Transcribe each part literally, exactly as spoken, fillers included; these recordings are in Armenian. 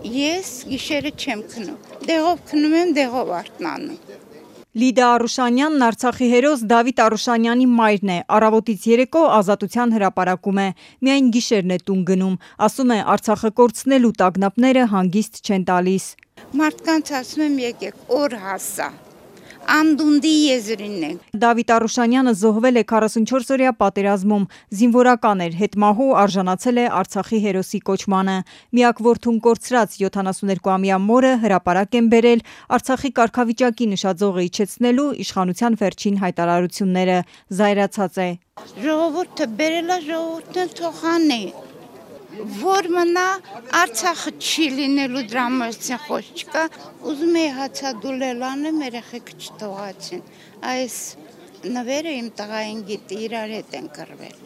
Ես գիշերը չեմ քնում, դեղով քնում եմ, դեղով արթնանում։ Լիդա Արուշանյանն Արցախի հերոս Դավիթ Արուշանյանի մայրն է, առավոտից երեկո Ազատության հրապարակում է, միայն գիշերն է տուն գնում, ասում է Արցախը կորցնելու տագնապները հանգիստ չեն տալիս։ Մարդկանց ասում եմ եկեք, օր հասա, անդունդի եզրին է։ Դավիթ Արուշանյանը զոհվել է քառասունչորս-օրյա պատերազմում, զինվորական էր, հետմահու արժանացել է Արցախի հերոսի կոչմանը։ Միակ որդուն կորցրած յոթանասուներկուամյա մորը հրապարակ են բերել Արցախի կարգավիճակի նշաձողը իջեցնելու իշխանության վերջին հայտարարությունները, զայրացած է։ Ժողովուրդը բերել է, ժողովուրդն թող անի, որ մնա Արցախը չի լինելու դրա մասին խոսք չկա, ուզում էի հացադուլել անեմ, երեխեքը չթողացին, այս նվերը իմ տղային գիտի, իրար հետ են կռվել։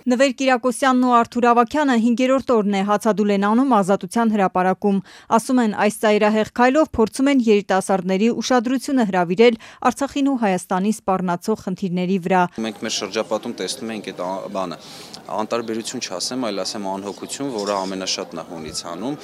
Նվեր Կիրակոսյանն ու Արթուր Ավագյանը հինգերորդ օրն է հացադուլ են անում Ազատության հրապարակում, ասում են այս ծայրահեղ քայլով փորձում են երիտասարդների ուշադրությունը հրավիրել Արցախին ու Հայաստանին սպառնացող խնդիրների վրա։ Մենք մեր շրջապատում տեսնում ենք այդ բանը, անտարբերություն չասեմ, այլ ասեմ անհոգություն, որը ամենաշատն է հունից հանում։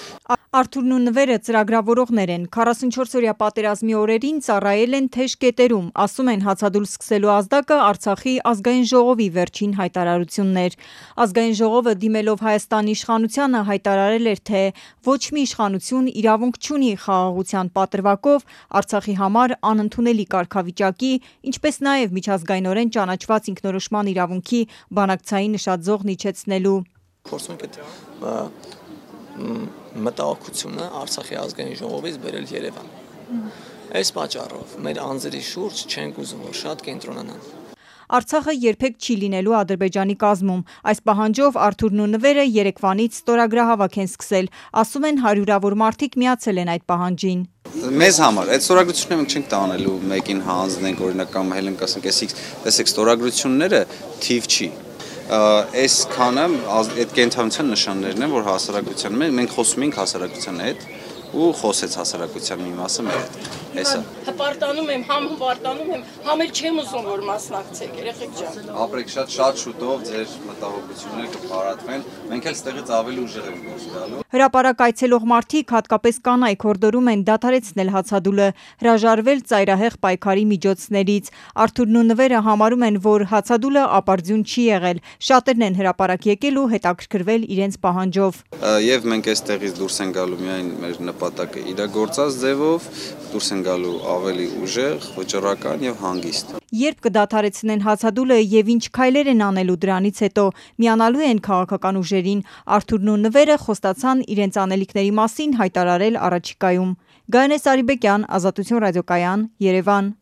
Արթուրն ու Նվերը ծրագրավորողներ են, քառասունչորս-օրյա պատերազմի օրերին ծառայել են Թեժ կետերում, ասում են հացադուլ սկսելու ազդակը Արցախի ազգային ժողովի վերջին հայտարարությունն էր։ Ազգային ժողովը դիմելով Հայաստանի իշխանությանը հայտարարել էր, թե ոչ մի իշխանություն իրավունք չունի խաղաղության պատրվակով Արցախի համար անընդունելի կարգավիճակի, ինչպես նաև միջազգայինորեն ճանաչված ինքնորոշման իրավունքի բանակցային նշաձողն իջեցնելու։ Փորձում ենք այդ մտահոգությունը Արցախի ազգային ժողովից բերել Երևան։ Այս պատճառով մեր անձերի շուրջ չենք ուզում, որ շատ կենտրոնանան։ Արցախը երբեք չի լինելու Ադրբեջանի կազմում։ Այս պահանջով Արթուրն ու Նվերը Երևանից ստորագրահավաք են սկսել, ասում են հարյուրավոր մարդիկ միացել են այդ պահանջին։ Մեզ համար այդ ստորագրությունները մենք չենք տանելու մեկին հանձնենք, օրինակ կամ հելենք ասենք, տեսեք ստորագրությունները թիվ չի։ Այս քանը այդ կենթանության նշաններն են, որ հասարակության մենք խոսում ենք հասարակության հետ ու խոսեց հասարակության մի մասը մեր հետ։ Հեսա։ Հպարտանում եմ, համ հպարտանում եմ, համ էլ չեմ ուզում որ մասնակցեք, երեխեք ջան։ Ապրեք շատ շատ շուտով ձեր մտահոգությունները կփարատվեն, մենք էլ ստեղից ավելի ուժեղ ենք դուրս գալու։ Հրապարակ այցելող մարդիկ, հատկապես կանայք, հորդորում են դադարեցնել հացադուլը, հրաժարվել ծայրահեղ պայքարի միջոցներից։ Արթուրն ու Նվերը համարում են, որ հացադուլը ապարդյուն չի եղել, շատերն են հրապարակ եկել ու հետաքրքրվել իրենց պահանջով։ Եվ մենք այստեղից դուրս են գալու միայն մեր նպատակը իրագործած ձևով, դուրս են գալու ավելի ուժեղ, վճռական եւ հանգիստ։ Երբ կդադարեցնեն հացադուլը եւ ինչ քայլեր են անելու դրանից հետո, միանալու են քաղաքական ուժերին, Արթուրն ու Նվերը խոստացան իրենց անելիքների մասին հայտարարել առաջիկայում։ Գայանե Սարիբեկյան, Ազատություն ռադիոկայան, Երևան։